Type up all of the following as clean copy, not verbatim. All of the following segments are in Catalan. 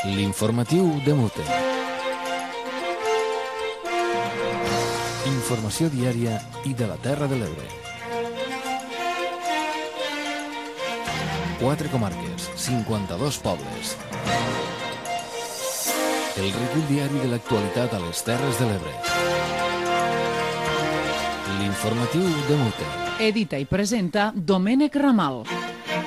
L'informatiu de Mute. Informació diària i de la Terra de l'Ebre. 4 comarques, 52 pobles. El recull diari de l'actualitat a les Terres de l'Ebre. L'informatiu de Mute. Edita i presenta Domènec Ramal.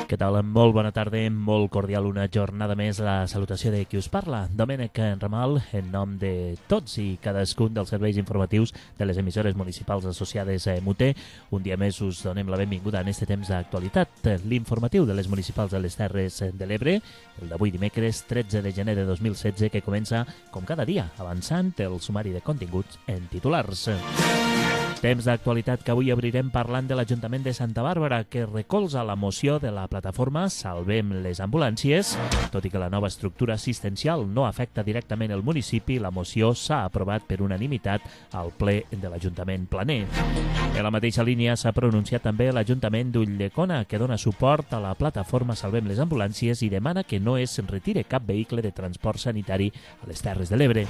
Què tal? Molt bona tarda, molt cordial una jornada més. La salutació de qui us parla, Domènec Ramal, en nom de tots i cadascun dels serveis informatius de les emissores municipals associades a Mute. Un dia més us donem la benvinguda en este temps d'actualitat, l'informatiu de les municipals de les Terres de l'Ebre, el d'avui dimecres 13 de gener de 2016, que comença, com cada dia, avançant el sumari de continguts en titulars. Temps d'actualitat que avui obrirem parlant de l'Ajuntament de Santa Bàrbara, que recolza la moció de la plataforma Salvem les Ambulàncies. Tot i que la nova estructura assistencial no afecta directament el municipi, la moció s'ha aprovat per unanimitat al ple de l'Ajuntament planer. En la mateixa línia s'ha pronunciat també l'Ajuntament d'Ulldecona, que dona suport a la plataforma Salvem les Ambulàncies i demana que no es retire cap vehicle de transport sanitari a les Terres de l'Ebre.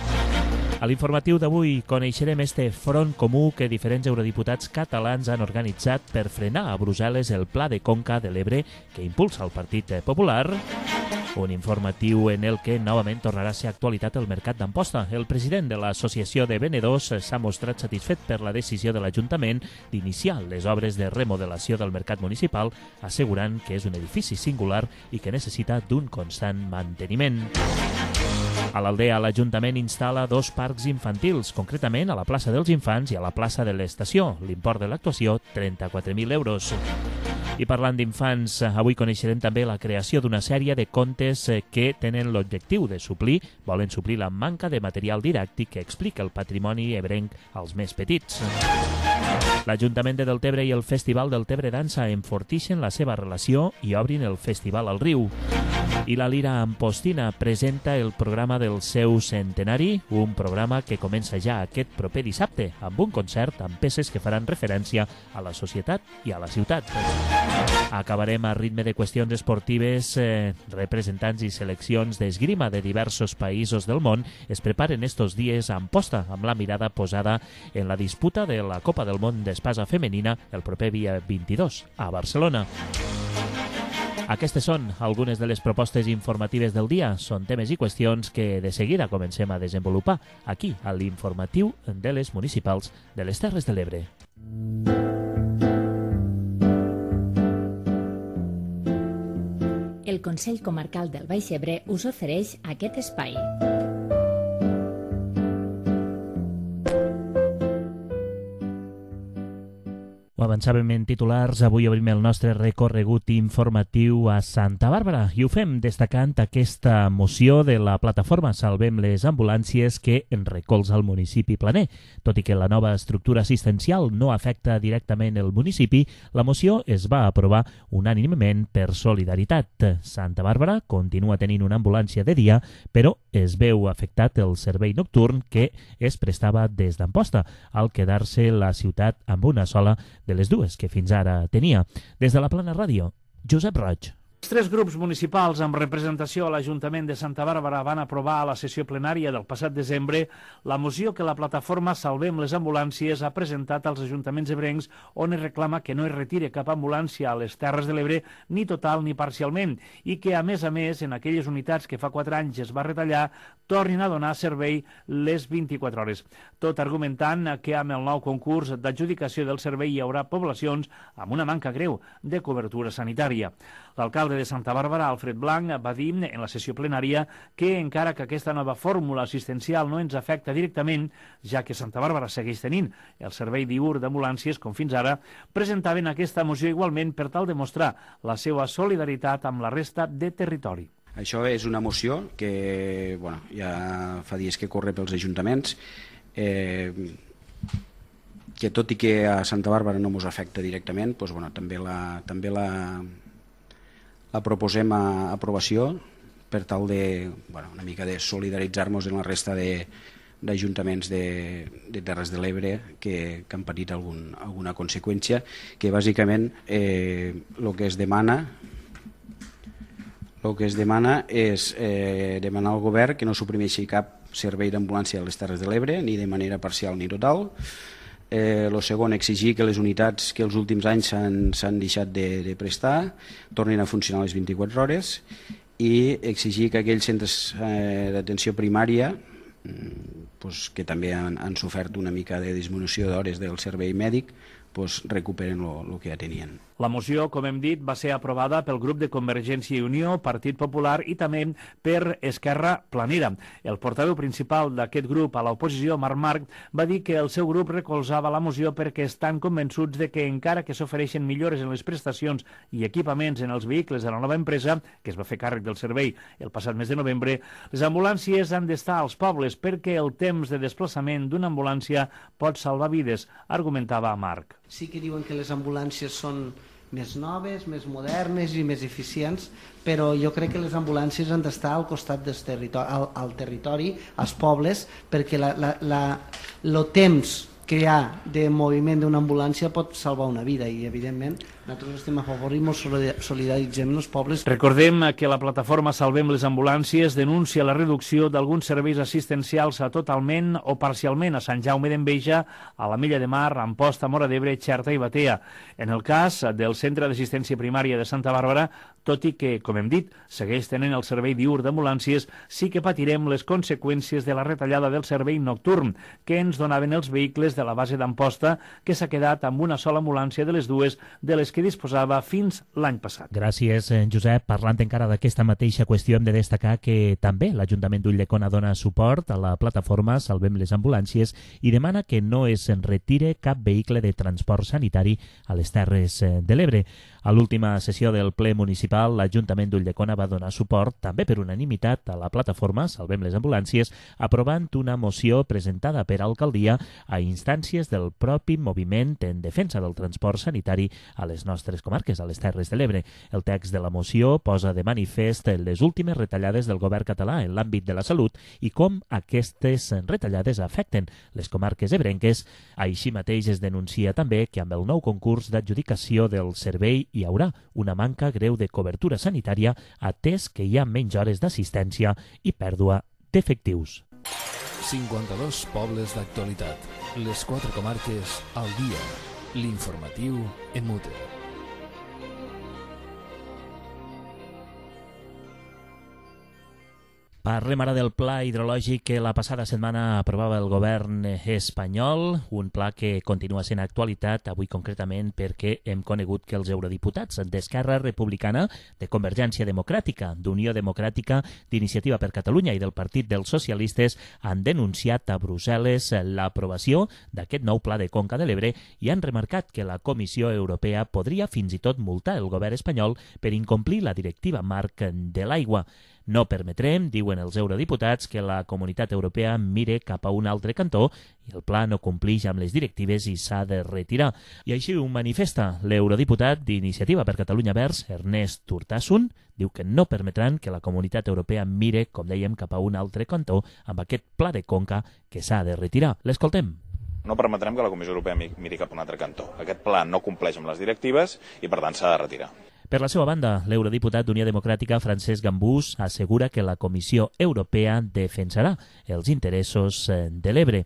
A l'informatiu d'avui coneixerem este front comú que diferents eurodiputats catalans han organitzat per frenar a Brussel·les el Pla de Conca de l'Ebre que impulsa el Partit Popular. Un informatiu en el que novament tornarà a ser actualitat el mercat d'Amposta. El president de l'Associació de Venedors s'ha mostrat satisfet per la decisió de l'Ajuntament d'iniciar les obres de remodelació del mercat municipal, assegurant que és un edifici singular i que necessita d'un constant manteniment. A l'Aldea, l'Ajuntament instal·la 2 parcs infantils, concretament a la plaça dels Infants i a la plaça de l'Estació. L'import de l'actuació, 34.000 euros. I parlant d'infants, avui coneixerem també la creació d'una sèrie de contes que tenen l'objectiu de volen suplir la manca de material didàctic que explica el patrimoni ebrenc als més petits. L'Ajuntament de Deltebre i el Festival Deltebre Dansa enfortixen la seva relació i obrin el Festival al Riu. I la Lira Ampostina presenta el programa del seu centenari, un programa que comença ja aquest proper dissabte, amb un concert amb peces que faran referència a la societat i a la ciutat. Acabarem a ritme de qüestions esportives. Representants i seleccions d'esgrima de diversos països del món es preparen estos dies a Amposta, amb la mirada posada en la disputa de la Copa del Món d'Espasa femenina el proper dia 22 a Barcelona. Aquestes són algunes de les propostes informatives del dia. Són temes i qüestions que de seguida comencem a desenvolupar aquí, a l'informatiu de les municipals de les Terres de l'Ebre. El Consell Comarcal del Baix Ebre us ofereix aquest espai. Ho avançàvem en titulars, avui obrim el nostre recorregut informatiu a Santa Bàrbara i ho fem destacant aquesta moció de la plataforma Salvem les Ambulàncies que recolza el municipi planer. Tot i que la nova estructura assistencial no afecta directament el municipi, la moció es va aprovar unànimement per solidaritat. Santa Bàrbara continua tenint una ambulància de dia, però es veu afectat el servei nocturn que es prestava des d'Amposta, al quedar-se la ciutat amb una sola de les dues que fins ara tenia. Des de la Plana Ràdio, Josep Roig. Els 3 grups municipals amb representació a l'Ajuntament de Santa Bàrbara van aprovar a la sessió plenària del passat desembre la moció que la plataforma Salvem les Ambulàncies ha presentat als ajuntaments ebrencs, on es reclama que no es retire cap ambulància a les Terres de l'Ebre, ni total ni parcialment, i que, a més, en aquelles unitats que fa 4 anys es va retallar, tornin a donar servei les 24 hores. Tot argumentant que amb el nou concurs d'adjudicació del servei hi haurà poblacions amb una manca greu de cobertura sanitària. L'alcalde de Santa Bàrbara, Alfred Blanc, va dir en la sessió plenària que encara que aquesta nova fórmula assistencial no ens afecta directament, ja que Santa Bàrbara segueix tenint el servei diürn d'ambulàncies com fins ara, presentaven aquesta moció igualment per tal de mostrar la seva solidaritat amb la resta de territori. Això és una moció que ja fa dies que corre pels ajuntaments, que tot i que a Santa Bàrbara no ens afecta directament, també la proposem a aprovació per tal de una mica de solidaritzar-nos en la resta d'ajuntaments de Terres de l'Ebre que han patit alguna conseqüència, que bàsicament el que es demana el que es demana és demanar al govern que no suprimeixi cap servei d'ambulància a les Terres de l'Ebre, ni de manera parcial ni total. El segon, exigir que les unitats que els últims anys s'han deixat de prestar tornin a funcionar a les 24 hores i exigir que aquells centres d'atenció primària que també han sofert una mica de disminució d'hores del servei mèdic recuperen el que ja tenien. La moció, com hem dit, va ser aprovada pel grup de Convergència i Unió, Partit Popular i també per Esquerra Planera. El portaveu principal d'aquest grup a l'oposició, Marc Marc, va dir que el seu grup recolzava la moció perquè estan convençuts de que encara que s'ofereixen millores en les prestacions i equipaments en els vehicles de la nova empresa, que es va fer càrrec del servei el passat mes de novembre, les ambulàncies han d'estar als pobles perquè el temps de desplaçament d'una ambulància pot salvar vides, argumentava Marc. Sí que diuen que les ambulàncies són més noves, més modernes i més eficients, però jo crec que les ambulàncies han d'estar al costat del territori, als pobles, perquè el temps que hi ha de moviment d'una ambulància pot salvar una vida i, evidentment, nosaltres estem a favor i ens solidaritzem amb els pobles. Recordem que la plataforma Salvem les Ambulàncies denuncia la reducció d'alguns serveis assistencials totalment o parcialment a Sant Jaume d'Enveja, a la Mella de Mar, Amposta, Móra d'Ebre, Xerta i Batea. En el cas del Centre d'Assistència Primària de Santa Bàrbara, tot i que, com hem dit, segueix tenint el servei diürn d'ambulàncies, sí que patirem les conseqüències de la retallada del servei nocturn que ens donaven els vehicles de la base d'Amposta, que s'ha quedat amb una sola ambulància de les dues de les que disposava fins l'any passat. Gràcies, Josep. Parlant encara d'aquesta mateixa qüestió, hem de destacar que també l'Ajuntament d'Ulldecona dona suport a la plataforma Salvem les Ambulàncies i demana que no es retire cap vehicle de transport sanitari a les Terres de l'Ebre. A l'última sessió del ple municipal, l'Ajuntament d'Ulldecona va donar suport, també per unanimitat, a la plataforma Salvem les Ambulàncies, aprovant una moció presentada per alcaldia a instàncies del propi moviment en defensa del transport sanitari a les nostres comarques, a les Terres de l'Ebre. El text de la moció posa de manifest les últimes retallades del govern català en l'àmbit de la salut i com aquestes retallades afecten les comarques ebrenques. Així mateix es denuncia també que amb el nou concurs d'adjudicació del servei hi haurà una manca greu de cobertura sanitària atès que hi ha menys hores d'assistència i pèrdua d'efectius. 52 pobles d'actualitat. Les 4 comarques al dia. L'informatiu en Mute. Parlem ara del pla hidrològic que la passada setmana aprovava el govern espanyol, un pla que continua sent actualitat, avui concretament perquè hem conegut que els eurodiputats d'Esquerra Republicana, de Convergència Democràtica, d'Unió Democràtica, d'Iniciativa per Catalunya i del Partit dels Socialistes han denunciat a Brussel·les l'aprovació d'aquest nou pla de Conca de l'Ebre i han remarcat que la Comissió Europea podria fins i tot multar el govern espanyol per incomplir la directiva marc de l'aigua. No permetrem, diuen els eurodiputats, que la Comunitat Europea mire cap a un altre cantó i el pla no complix amb les directives i s'ha de retirar. I així ho manifesta l'eurodiputat d'Iniciativa per Catalunya Verds, Ernest Urtasun. Diu que no permetran que la Comunitat Europea mire, com dèiem, cap a un altre cantó amb aquest pla de conca que s'ha de retirar. L'escoltem. No permetrem que la Comissió Europea miri cap a un altre cantó. Aquest pla no compleix amb les directives i, per tant, s'ha de retirar. Per la seva banda, l'eurodiputat d'Unió Democràtica, Francesc Gambús, assegura que la Comissió Europea defensarà els interessos de l'Ebre.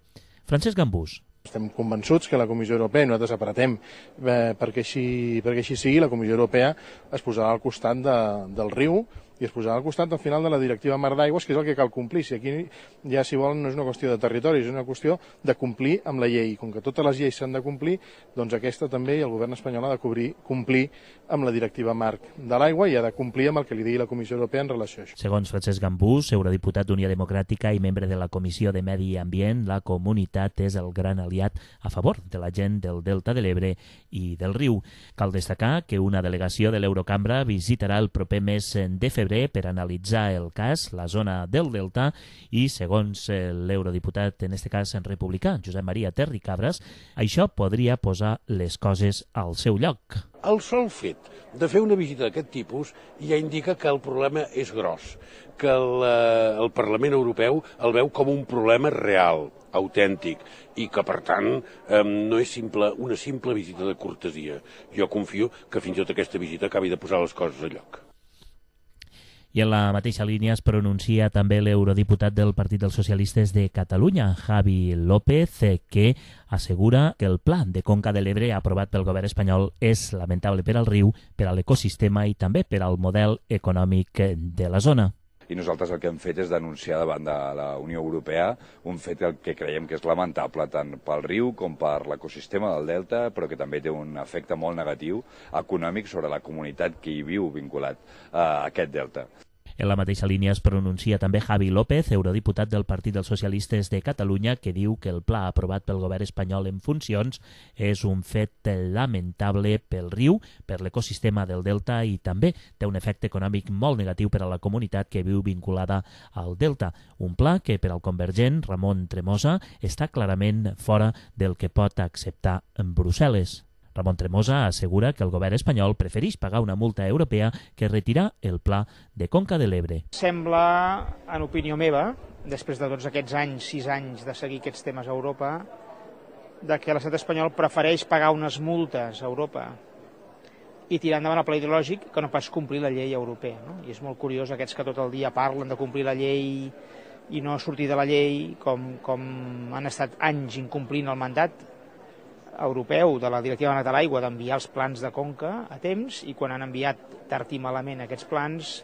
Francesc Gambús. Estem convençuts que la Comissió Europea, nosaltres apretem perquè així sigui, la Comissió Europea es posarà al costat del riu i es posarà al costat al final de la directiva Mar d'Aigües, que és el que cal complir. Si aquí ja, si volen, no és una qüestió de territori, és una qüestió de complir amb la llei. Com que totes les lleis s'han de complir, doncs aquesta també, i el govern espanyol ha de complir amb la directiva marc de l'aigua i ha de complir amb el que li digui la Comissió Europea en relació a això. Segons Francesc Gambús, eurodiputat d'Unió Democràtica i membre de la Comissió de Medi Ambient, la comunitat és el gran aliat a favor de la gent del Delta de l'Ebre i del riu. Cal destacar que una delegació de l'Eurocambra visitarà el proper mes de febrer per analitzar el cas, la zona del Delta, i segons l'eurodiputat, en este cas republicà, Josep Maria Terricabras, això podria posar les coses al seu lloc. El sol fet de fer una visita d'aquest tipus ja indica que el problema és gros, que el Parlament Europeu el veu com un problema real, autèntic, i que, per tant, no és una simple visita de cortesia. Jo confio que fins i tot aquesta visita acabi de posar les coses a lloc. I en la mateixa línia es pronuncia també l'eurodiputat del Partit dels Socialistes de Catalunya, Javi López, que assegura que el pla de Conca de l'Ebre aprovat pel govern espanyol és lamentable per al riu, per a l'ecosistema i també per al model econòmic de la zona. I nosaltres el que hem fet és denunciar davant de la Unió Europea un fet que creiem que és lamentable tant pel riu com per l'ecosistema del delta, però que també té un efecte molt negatiu econòmic sobre la comunitat que hi viu vinculat a aquest delta. En la mateixa línia es pronuncia també Javi López, eurodiputat del Partit dels Socialistes de Catalunya, que diu que el pla aprovat pel govern espanyol en funcions és un fet lamentable pel riu, per l'ecosistema del delta i també té un efecte econòmic molt negatiu per a la comunitat que viu vinculada al delta. Un pla que per al convergent Ramon Tremosa està clarament fora del que pot acceptar en Brussel·les. Ramon Tremosa assegura que el govern espanyol prefereix pagar una multa europea que retirar el pla de Conca de l'Ebre. Sembla, en opinió meva, després de tots aquests anys, 6 anys de seguir aquests temes a Europa, de que l'estat espanyol prefereix pagar unes multes a Europa i tirar endavant el pla ideològic que no pas complir la llei europea. No? I és molt curiós aquests que tot el dia parlen de complir la llei i no sortir de la llei, com han estat anys incomplint el mandat europeu de la Directiva de l'Aigua d'enviar els plans de conca a temps, i quan han enviat tard i malament aquests plans,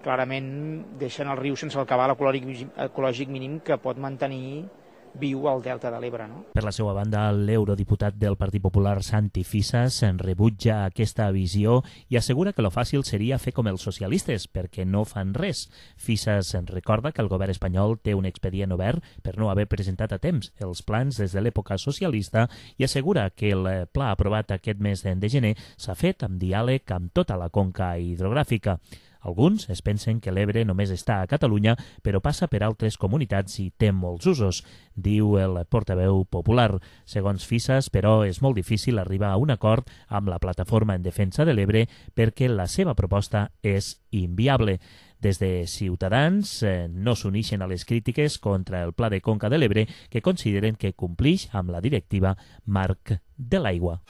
clarament deixen el riu sense el cabal ecològic mínim que pot mantenir viu al delta de l'Ebre. No? Per la seva banda, l'eurodiputat del Partit Popular, Santi Fisas, rebutja aquesta visió i assegura que lo fàcil seria fer com els socialistes, perquè no fan res. Fisas recorda que el govern espanyol té un expedient obert per no haver presentat a temps els plans des de l'època socialista i assegura que el pla aprovat aquest mes de gener s'ha fet amb diàleg amb tota la conca hidrogràfica. Alguns es pensen que l'Ebre només està a Catalunya, però passa per altres comunitats i té molts usos, diu el portaveu popular. Segons Fisas, però, és molt difícil arribar a un acord amb la plataforma en defensa de l'Ebre perquè la seva proposta és inviable. Des de Ciutadans no s'uneixen a les crítiques contra el Pla de Conca de l'Ebre, que consideren que complix amb la directiva Marc de l'Aigua.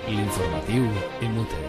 L'informatiu MUT.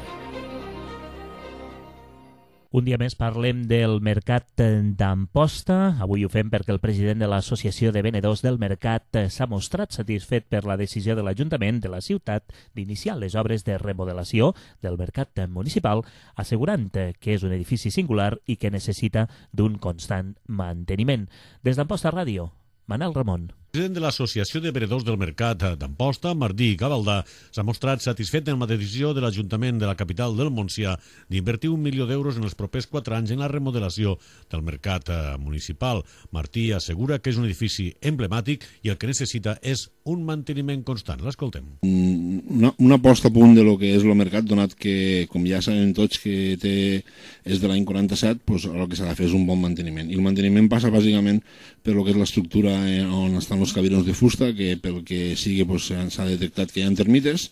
Un dia més parlem del mercat d'Amposta. Avui ho fem perquè el president de l'Associació de Venedors del Mercat s'ha mostrat satisfet per la decisió de l'Ajuntament de la ciutat d'iniciar les obres de remodelació del mercat municipal, assegurant que és un edifici singular i que necessita d'un constant manteniment. Des d'Amposta Ràdio, Manel Ramon. El president de l'Associació de Venedors del Mercat d'Amposta, Martí Gavaldà, s'ha mostrat satisfet amb la decisió de l'Ajuntament de la capital del Montsià d'invertir 1 milió d'euros en els propers 4 anys en la remodelació del mercat municipal. Martí assegura que és un edifici emblemàtic i el que necessita és un manteniment constant. L'escoltem. Una posta a punt de lo que és el mercat, donat que, com ja sabem tots que és de l'any 47, doncs el que s'ha de fer és un bon manteniment. I el manteniment passa bàsicament per lo que és l'estructura on estan els cabirons de fusta, que pel que sigui s'ha detectat que hi ha termites,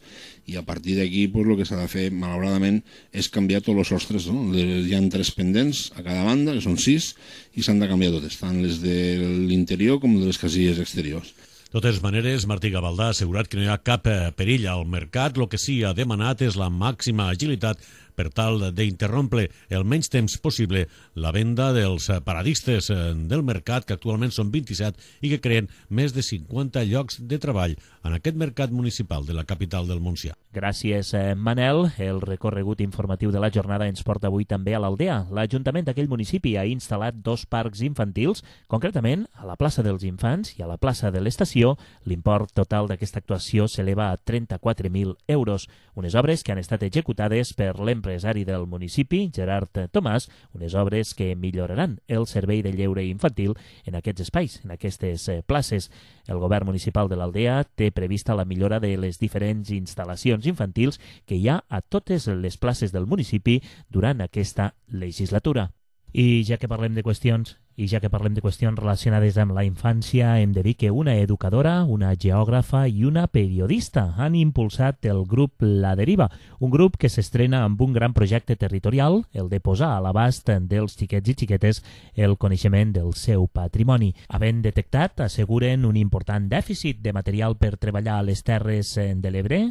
i a partir d'aquí el que s'ha de fer, malauradament, és canviar tots els sostres. Hi ha 3 pendents a cada banda, que són 6, i s'han de canviar totes, tant les de l'interior com de les casilles exteriors. De totes maneres, Martí Gavaldà ha assegurat que no hi ha cap perill al mercat. El que sí ha demanat és la màxima agilitat per tal d'interrompre el menys temps possible la venda dels paradistes del mercat, que actualment són 27 i que creen més de 50 llocs de treball en aquest mercat municipal de la capital del Montsià. Gràcies, Manel. El recorregut informatiu de la jornada ens porta avui també a l'Aldea. L'Ajuntament d'aquell municipi ha instal·lat 2 parcs infantils, concretament a la plaça dels Infants i a la plaça de l'Estació. L'import total d'aquesta actuació s'eleva a 34.000 euros. Unes obres que han estat executades per l'empresari del municipi, Gerard Tomàs, unes obres que milloraran el servei de lleure infantil en aquests espais, en aquestes places. El govern municipal de l'Aldea té prevista la millora de les diferents instal·lacions infantils que hi ha a totes les places del municipi durant aquesta legislatura. I ja que parlem de qüestions relacionades amb la infància, hem de dir que una educadora, una geògrafa i una periodista han impulsat el grup La Deriva, un grup que s'estrena amb un gran projecte territorial, el de posar a l'abast dels xiquets i xiquetes el coneixement del seu patrimoni. Havent detectat, asseguren, un important dèficit de material per treballar a les terres de l'Ebre,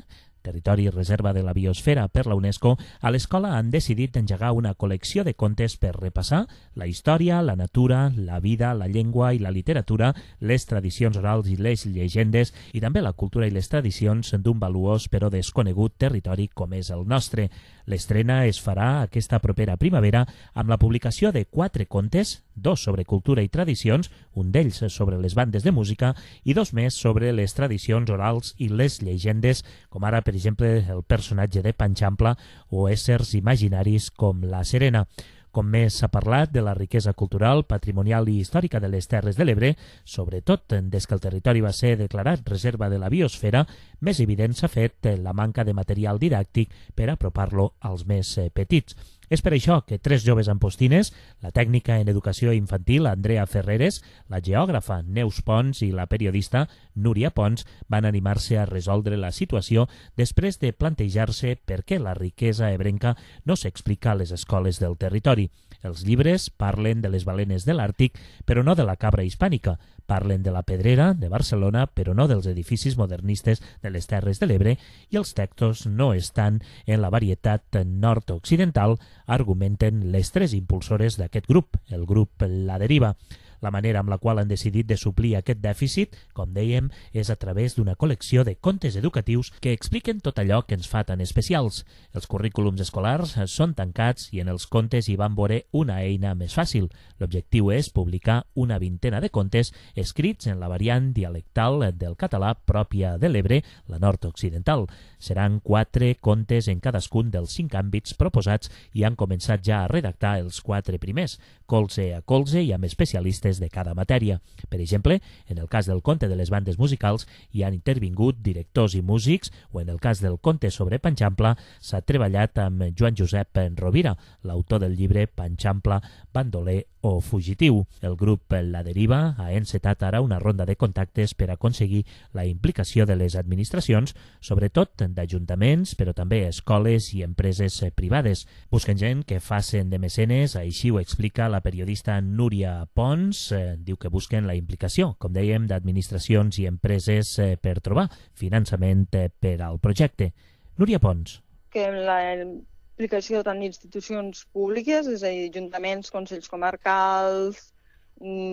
territori reserva de la biosfera per la UNESCO, a l'escola han decidit engegar una col·lecció de contes per repassar la història, la natura, la vida, la llengua i la literatura, les tradicions orals i les llegendes i també la cultura i les tradicions d'un valuós però desconegut territori com és el nostre. L'estrena es farà aquesta propera primavera amb la publicació de 4 contes, 2 sobre cultura i tradicions, un d'ells sobre les bandes de música i 2 més sobre les tradicions orals i les llegendes, com ara, per exemple, el personatge de Panxampla o éssers imaginaris com la Serena. Com més s'ha parlat de la riquesa cultural, patrimonial i històrica de les Terres de l'Ebre, sobretot des que el territori va ser declarat reserva de la biosfera, més evident s'ha fet la manca de material didàctic per apropar-lo als més petits. És per això que 3 joves ampostines, la tècnica en educació infantil Andrea Ferreres, la geògrafa Neus Pons i la periodista Núria Pons van animar-se a resoldre la situació després de plantejar-se per què la riquesa ebrenca no s'explica a les escoles del territori. Els llibres parlen de les balenes de l'Àrtic, però no de la cabra hispànica. Parlen de la Pedrera, de Barcelona, però no dels edificis modernistes de les Terres de l'Ebre, i els textos no estan en la varietat nord-occidental, argumenten les 3 impulsores d'aquest grup, el grup La Deriva. La manera amb la qual han decidit de suplir aquest dèficit, com dèiem, és a través d'una col·lecció de contes educatius que expliquen tot allò que ens fa tan especials. Els currículums escolars són tancats i en els contes hi van veure una eina més fàcil. L'objectiu és publicar una 20ena de contes escrits en la variant dialectal del català pròpia de l'Ebre, la nord-occidental. Seran 4 contes en cadascun dels 5 àmbits proposats i han començat ja a redactar els 4 primers, colze a colze i amb especialistes de cada matèria. Per exemple, en el cas del conte de les bandes musicals hi han intervingut directors i músics, o en el cas del conte sobre Panxampla s'ha treballat amb Joan Josep Rovira, l'autor del llibre Panxampla, bandoler o fugitiu. El grup La Deriva ha encetat ara una ronda de contactes per aconseguir la implicació de les administracions, sobretot d'ajuntaments, però també escoles i empreses privades. Busquen gent que facin de mecenes, així ho explica la periodista Núria Pons. Diu que busquen la implicació, com dèiem, d'administracions i empreses per trobar finançament per al projecte. Núria Pons. Que la implicació tant d'institucions públiques, és a dir, ajuntaments, consells comarcals,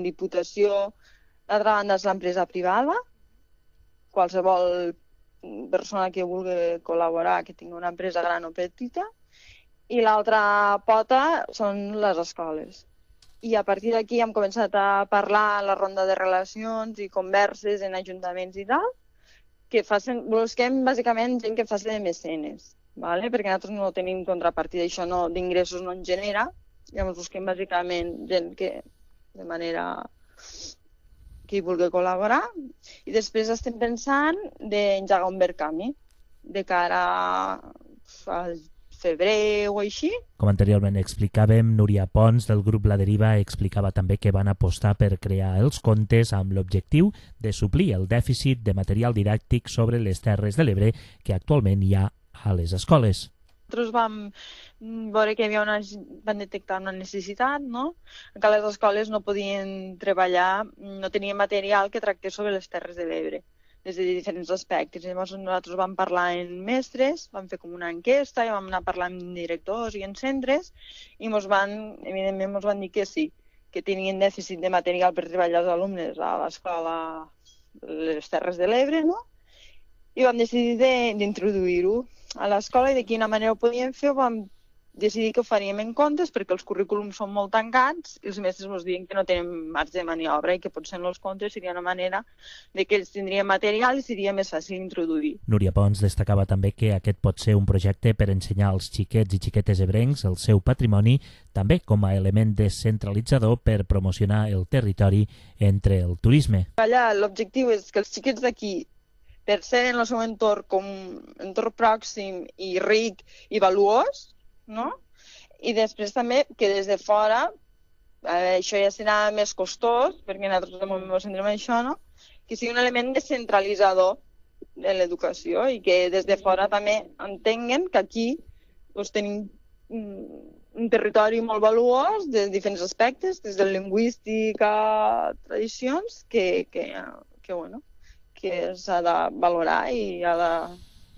diputació. D'altra banda és l'empresa privada, qualsevol persona que vulgui col·laborar, que tingui una empresa gran o petita, i l'altra pota són les escoles. I a partir d'aquí hem començat a parlar a la ronda de relacions i converses en ajuntaments i tal, que busquem bàsicament gent que faci de mecenes, ¿vale? Perquè nosaltres no tenim contrapartida, això d'ingressos no en genera, llavors busquem bàsicament gent que de manera que hi vulgui col·laborar, i després estem pensant d'engegar un Verkami de cara al febrer o així. Com anteriorment explicàvem, Núria Pons del grup La Deriva explicava també que van apostar per crear els contes amb l'objectiu de suplir el dèficit de material didàctic sobre les Terres de l'Ebre que actualment hi ha a les escoles. Nosaltres vam veure que van detectar una necessitat, no? Que les escoles no podien treballar, no tenien material que tractés sobre les Terres de l'Ebre, des de diferents aspectes. Llavors nosaltres vam parlar amb mestres, vam fer com una enquesta, i vam anar a parlar amb directors i en centres, i evidentment ens van dir que sí, que tenien dèficit de material per treballar els alumnes a l'escola les Terres de l'Ebre, no? I vam decidir d'introduir-ho a l'escola, i de quina manera ho podíem fer, vam decidir que ho faríem en contes, perquè els currículums són molt tancats i els mestres ens diuen que no tenen marge de maniobra i que potser en els contes seria una manera de que ells tindrien material i seria més fàcil introduir. Núria Pons destacava també que aquest pot ser un projecte per ensenyar als xiquets i xiquetes ebrencs el seu patrimoni, també com a element descentralitzador per promocionar el territori entre el turisme. Allà l'objectiu és que els xiquets d'aquí, per ser en el seu entorn com un entorn pròxim i ric i valuós, no? I després també que des de fora, això ja serà més costós, perquè nosaltres de moment ens centrem en això, no? Que sigui un element descentralitzador de l'educació i que des de fora també entenguen que aquí tenim un territori molt valuós de diferents aspectes, des de lingüístic a tradicions, que s'ha de valorar i ha de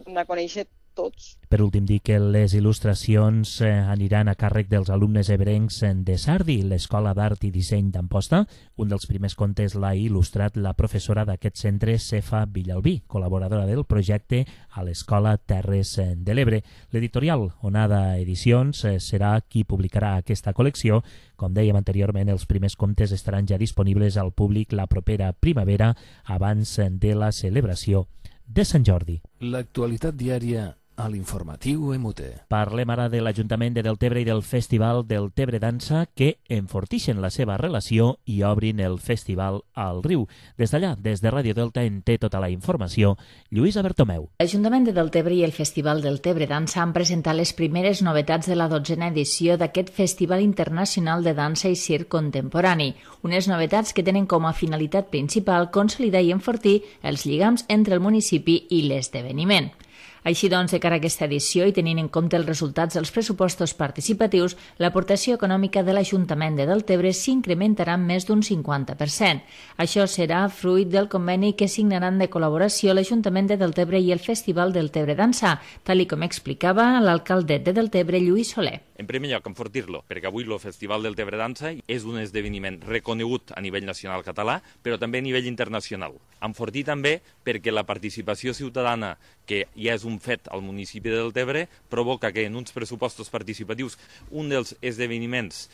hem de conèixer tots. Per últim, dir que les il·lustracions aniran a càrrec dels alumnes ebrencs de Sardi, l'Escola d'Art i Disseny d'Amposta. Un dels primers contes l'ha il·lustrat la professora d'aquest centre, Cefa Villalbí, col·laboradora del projecte a l'Escola Terres de l'Ebre. L'editorial Onada Edicions serà qui publicarà aquesta col·lecció. Com dèiem anteriorment, els primers contes estaran ja disponibles al públic la propera primavera, abans de la celebració de Sant Jordi. L'actualitat diària a l'informatiu MUT. Parlem ara de l'Ajuntament de Deltebre i del Festival Deltebre Dansa, que enfortixen la seva relació i obrin el festival al riu. Des d'allà, des de Ràdio Delta, en té tota la informació Lluïsa Bertomeu. L'Ajuntament de Deltebre i el Festival Deltebre Dansa han presentat les primeres novetats de la 12a edició d'aquest Festival Internacional de Dansa i Circ Contemporani. Unes novetats que tenen com a finalitat principal consolidar i enfortir els lligams entre el municipi i l'esdeveniment. Així doncs, de cara a aquesta edició i tenint en compte els resultats dels pressupostos participatius, l'aportació econòmica de l'Ajuntament de Deltebre s'incrementarà en més d'un 50%. Això serà fruit del conveni que signaran de col·laboració l'Ajuntament de Deltebre i el Festival Deltebre Dansa, tal com explicava l'alcaldet de Deltebre, Lluís Soler. En primer lloc, enfortir-lo, perquè avui el Festival Deltebre Dansa és un esdeveniment reconegut a nivell nacional català, però també a nivell internacional. Enfortir també perquè la participació ciutadana, que ja és un fet al municipi de Deltebre, provoca que en uns pressupostos participatius un dels esdeveniments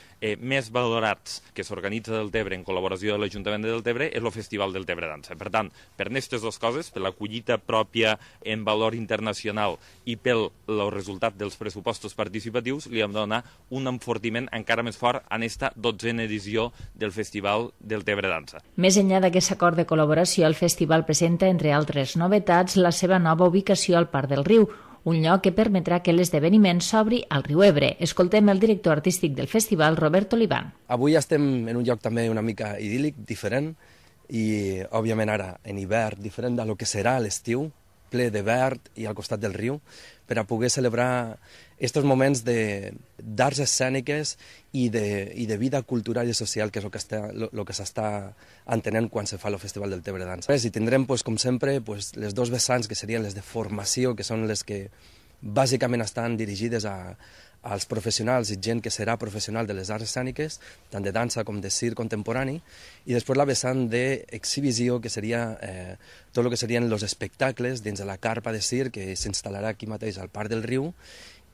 més valorats que s'organitza a Deltebre en col·laboració de l'Ajuntament de Deltebre és el Festival Deltebre Dansa. Per tant, per aquestes dues coses, per la collita pròpia en valor internacional i pel resultat dels pressupostos participatius, li hem de donar un enfortiment encara més fort en aquesta 12a edició del Festival Deltebre Dansa. Més enllà d'aquest acord de col·laboració, el festival presenta, entre altres novetats, la seva nova ubicació al Parc del Riu, un lloc que permetrà que l'esdeveniment s'obri al riu Ebre. Escoltem el director artístic del festival, Robert Olivan. Avui estem en un lloc també una mica idíl·lic, diferent, i òbviament ara en hivern, diferent del que serà l'estiu, ple de verd i al costat del riu, per a poder celebrar aquests moments d'arts escèniques i de vida cultural i social, que és el que s'està entenent quan se fa el Festival del Deltebre Dansa. I tindrem, com sempre, les dos vessants, que serien les de formació, que són les que bàsicament estan dirigides als professionals i gent que serà professional de les arts escèniques, tant de dansa com de circ contemporani, i després la vessant d'exhibició, que seria tot el que serien els espectacles dins de la carpa de circ que s'instal·larà aquí mateix al Parc del Riu,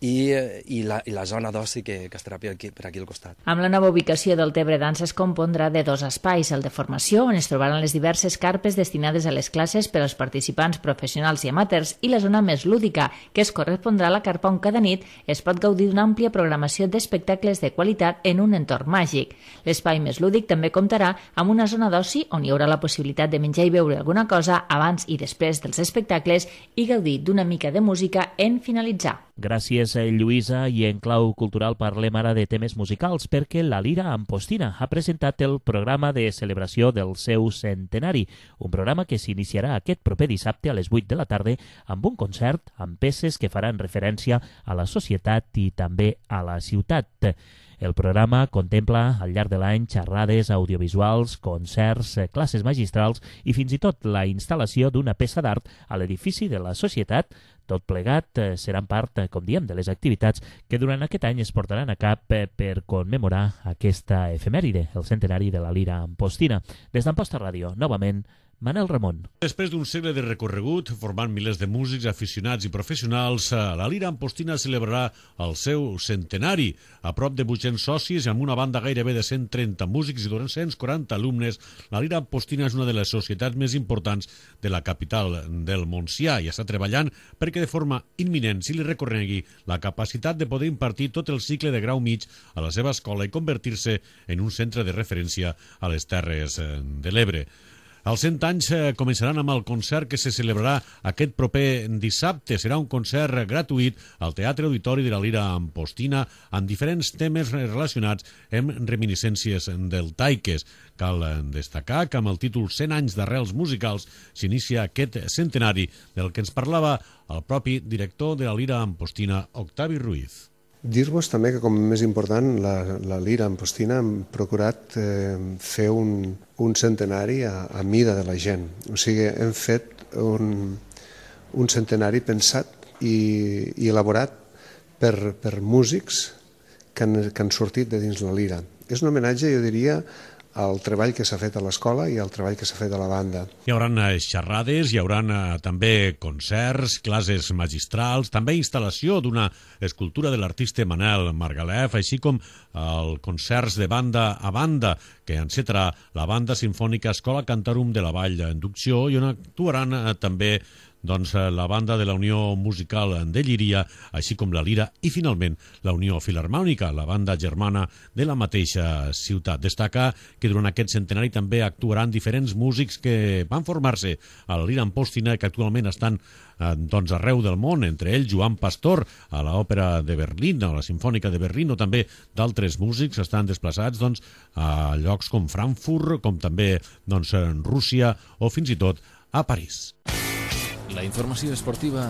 i la zona d'oci que estarà per aquí al costat. Amb la nova ubicació del Deltebre Dansa es compondrà de dos espais, el de formació, on es trobaran les diverses carpes destinades a les classes per als participants professionals i amateurs, i la zona més lúdica, que es correspondrà a la carpa on cada nit es pot gaudir d'una àmplia programació d'espectacles de qualitat en un entorn màgic. L'espai més lúdic també comptarà amb una zona d'oci on hi haurà la possibilitat de menjar i beure alguna cosa abans i després dels espectacles i gaudir d'una mica de música en finalitzar. Gràcies, Lluïsa. I en clau cultural parlem ara de temes musicals, perquè la Lira Ampostina ha presentat el programa de celebració del seu centenari, un programa que s'iniciarà aquest proper dissabte a les 8 de la tarda amb un concert amb peces que faran referència a la societat i també a la ciutat. El programa contempla al llarg de l'any xerrades audiovisuals, concerts, classes magistrals i fins i tot la instal·lació d'una peça d'art a l'edifici de la societat. Tot plegat seran part, com diem, de les activitats que durant aquest any es portaran a cap per commemorar aquesta efemèride, el centenari de la Lira Ampostina. Des d'Amposta Ràdio, novament, Manel Ramon. Després d'un segle de recorregut, formant milers de músics, aficionats i professionals, la Lira Ampostina celebrarà el seu centenari. A prop de 800 socis i amb una banda gairebé de 130 músics i 240 alumnes, la Lira Ampostina és una de les societats més importants de la capital del Montsià i està treballant perquè de forma imminent se li reconegui la capacitat de poder impartir tot el cicle de grau mig a la seva escola i convertir-se en un centre de referència a les Terres de l'Ebre. Els 100 anys començaran amb el concert que se celebrarà aquest proper dissabte. Serà un concert gratuït al Teatre Auditori de la Lira Ampostina amb diferents temes relacionats amb reminiscències deltaiques. Cal destacar que amb el títol 100 anys d'arrels musicals s'inicia aquest centenari del que ens parlava el propi director de la Lira Ampostina, Octavi Ruiz. Dir-vos també que, com més important, la Lira Ampostina hem procurat fer un centenari a mida de la gent. O sigui, hem fet un centenari pensat i elaborat per músics que han sortit de dins la lira. És un homenatge, jo diria, al treball que s'ha fet a l'escola i al treball que s'ha fet a la banda. Hi haurà xerrades, hi haurà també concerts, classes magistrals, també instal·lació d'una escultura de l'artista Manel Margalef, així com el concerts de banda a banda que encetarà la Banda Simfònica Escola Cantarum de la Vall d'Inducció i on actuaran també la banda de la Unió Musical de Llíria, així com la Lira i, finalment, la Unió Filharmònica, la banda germana de la mateixa ciutat. Destaca que durant aquest centenari també actuaran diferents músics que van formar-se a la Lira Amposta, que actualment estan arreu del món, entre ells Joan Pastor a l'Òpera de Berlín, a la Simfònica de Berlín, o també d'altres músics estan desplaçats a llocs com Frankfurt, com també Rússia o fins i tot a París. La informació esportiva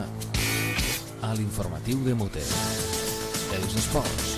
a l'informatiu de Mute. Els esports.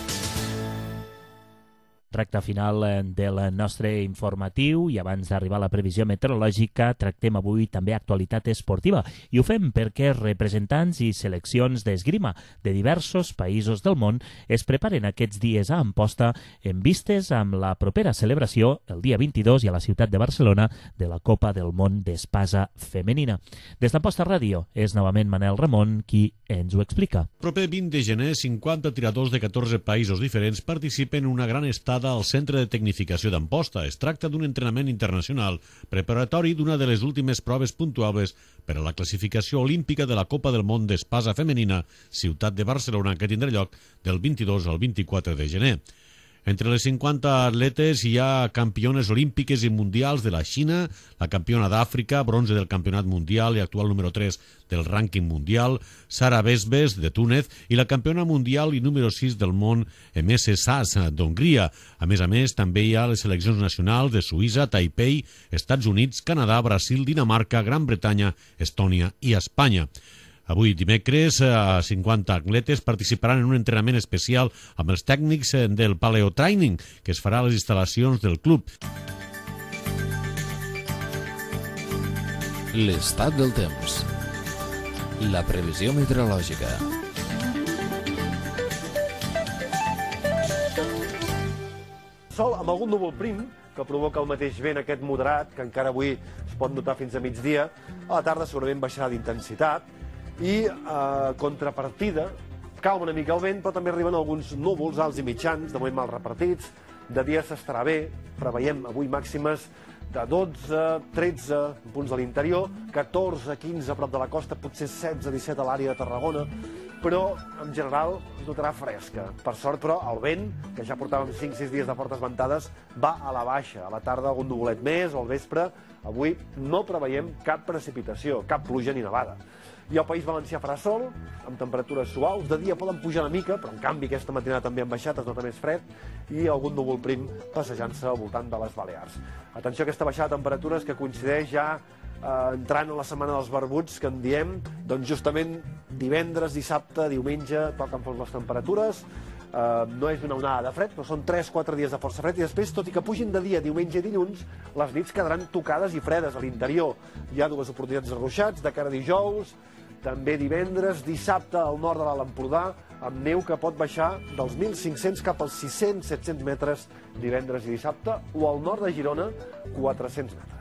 Recta final del nostre informatiu i abans d'arribar a la previsió meteorològica tractem avui també actualitat esportiva i ho fem perquè representants i seleccions d'esgrima de diversos països del món es preparen aquests dies a Amposta en vistes amb la propera celebració el dia 22 i a la ciutat de Barcelona de la Copa del Món d'Espasa Femenina. Des d'Amposta Ràdio és novament Manel Ramon qui ens ho explica. El proper 20 de gener, 50 tiradors de 14 països diferents participen en una gran estada al Centre de Tecnificació d'Amposta. Es tracta d'un entrenament internacional preparatori d'una de les últimes proves puntuables per a la classificació olímpica de la Copa del Món d'Espasa Femenina, ciutat de Barcelona, que tindrà lloc del 22 al 24 de gener. Entre les 50 atletes hi ha campiones olímpiques i mundials de la Xina, la campiona d'Àfrica, bronze del campionat mundial i actual número 3 del rànquing mundial, Sara Besbes, de Túnez, i la campiona mundial i número 6 del món, MS Sas, d'Hongria. A més, també hi ha les seleccions nacionals de Suïssa, Taipei, Estats Units, Canadà, Brasil, Dinamarca, Gran Bretanya, Estònia i Espanya. Avui, dimecres, 50 atletes participaran en un entrenament especial amb els tècnics del Paleo Training, que es farà a les instal·lacions del club. L'estat del temps. La previsió meteorològica. Sol amb algun núvol prim que provoca el mateix vent aquest moderat, que encara avui es pot notar fins a migdia. A la tarda segurament baixarà d'intensitat i contrapartida calma una mica el vent, però també arriben alguns núvols alts i mitjans, de moment mal repartits. De dia s'estarà bé, preveiem avui màximes de 12, 13 punts de l'interior, 14, 15 a prop de la costa, potser 16, 17 a l'àrea de Tarragona, però en general es notarà fresca. Per sort, però, el vent, que ja portàvem 5-6 dies de fortes ventades, va a la baixa. A la tarda algun nuvolet més, o al vespre. Avui no preveiem cap precipitació, cap pluja ni nevada. I al País Valencià farà sol, amb temperatures suaus. De dia poden pujar una mica, però en canvi aquesta matinada també han baixat, es nota més fred, i algun núvol prim passejant-se al voltant de les Balears. Atenció a aquesta baixada de temperatures que coincideix ja entrant a la setmana dels barbuts, que en diem, doncs justament divendres, dissabte, diumenge, toquen fons les temperatures. No és una onada de fred, però són 3-4 dies de força fred, i després, tot i que pugin de dia, diumenge i dilluns, les nits quedaran tocades i fredes a l'interior. Hi ha dues oportunitats de ruixats, de cara a dijous, també divendres, dissabte al nord de l'Alt Empordà, amb neu que pot baixar dels 1.500 cap als 600-700 metres divendres i dissabte, o al nord de Girona, 400 metres.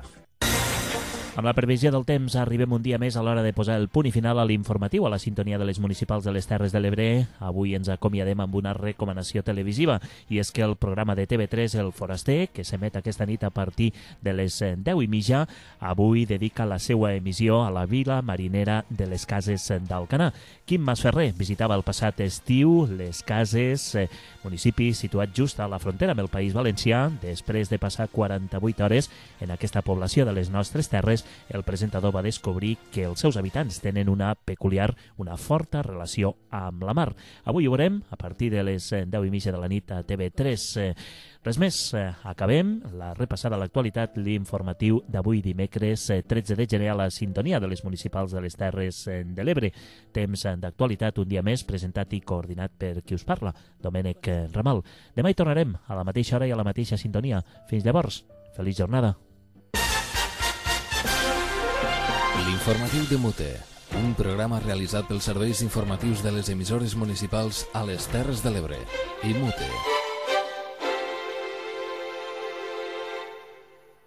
Amb la previsió del temps arribem un dia més a l'hora de posar el punt i final a l'informatiu a la sintonia de les municipals de les Terres de l'Ebre. Avui ens acomiadem amb una recomanació televisiva i és que el programa de TV3 El Foraster, que s'emet aquesta nit a partir de les 10:30, avui dedica la seva emissió a la vila marinera de les Cases d'Alcanar. Quim Masferrer visitava el passat estiu les Cases, municipi situat just a la frontera amb el País Valencià. Després de passar 48 hores en aquesta població de les nostres terres, el presentador va descobrir que els seus habitants tenen una forta relació amb la mar. Avui ho veurem a partir de les 10:30 de la nit a TV3. Res més, acabem la repassada a l'actualitat, l'informatiu d'avui dimecres 13 de gener a la sintonia de les municipals de les Terres de l'Ebre. Temps d'actualitat un dia més, presentat i coordinat per qui us parla, Domènec Ramal. Demà hi tornarem a la mateixa hora i a la mateixa sintonia. Fins llavors, feliç jornada. L'informatiu de Mute. Un programa realitzat pels serveis informatius de les emissores municipals a les Terres de l'Ebre. IMUTE.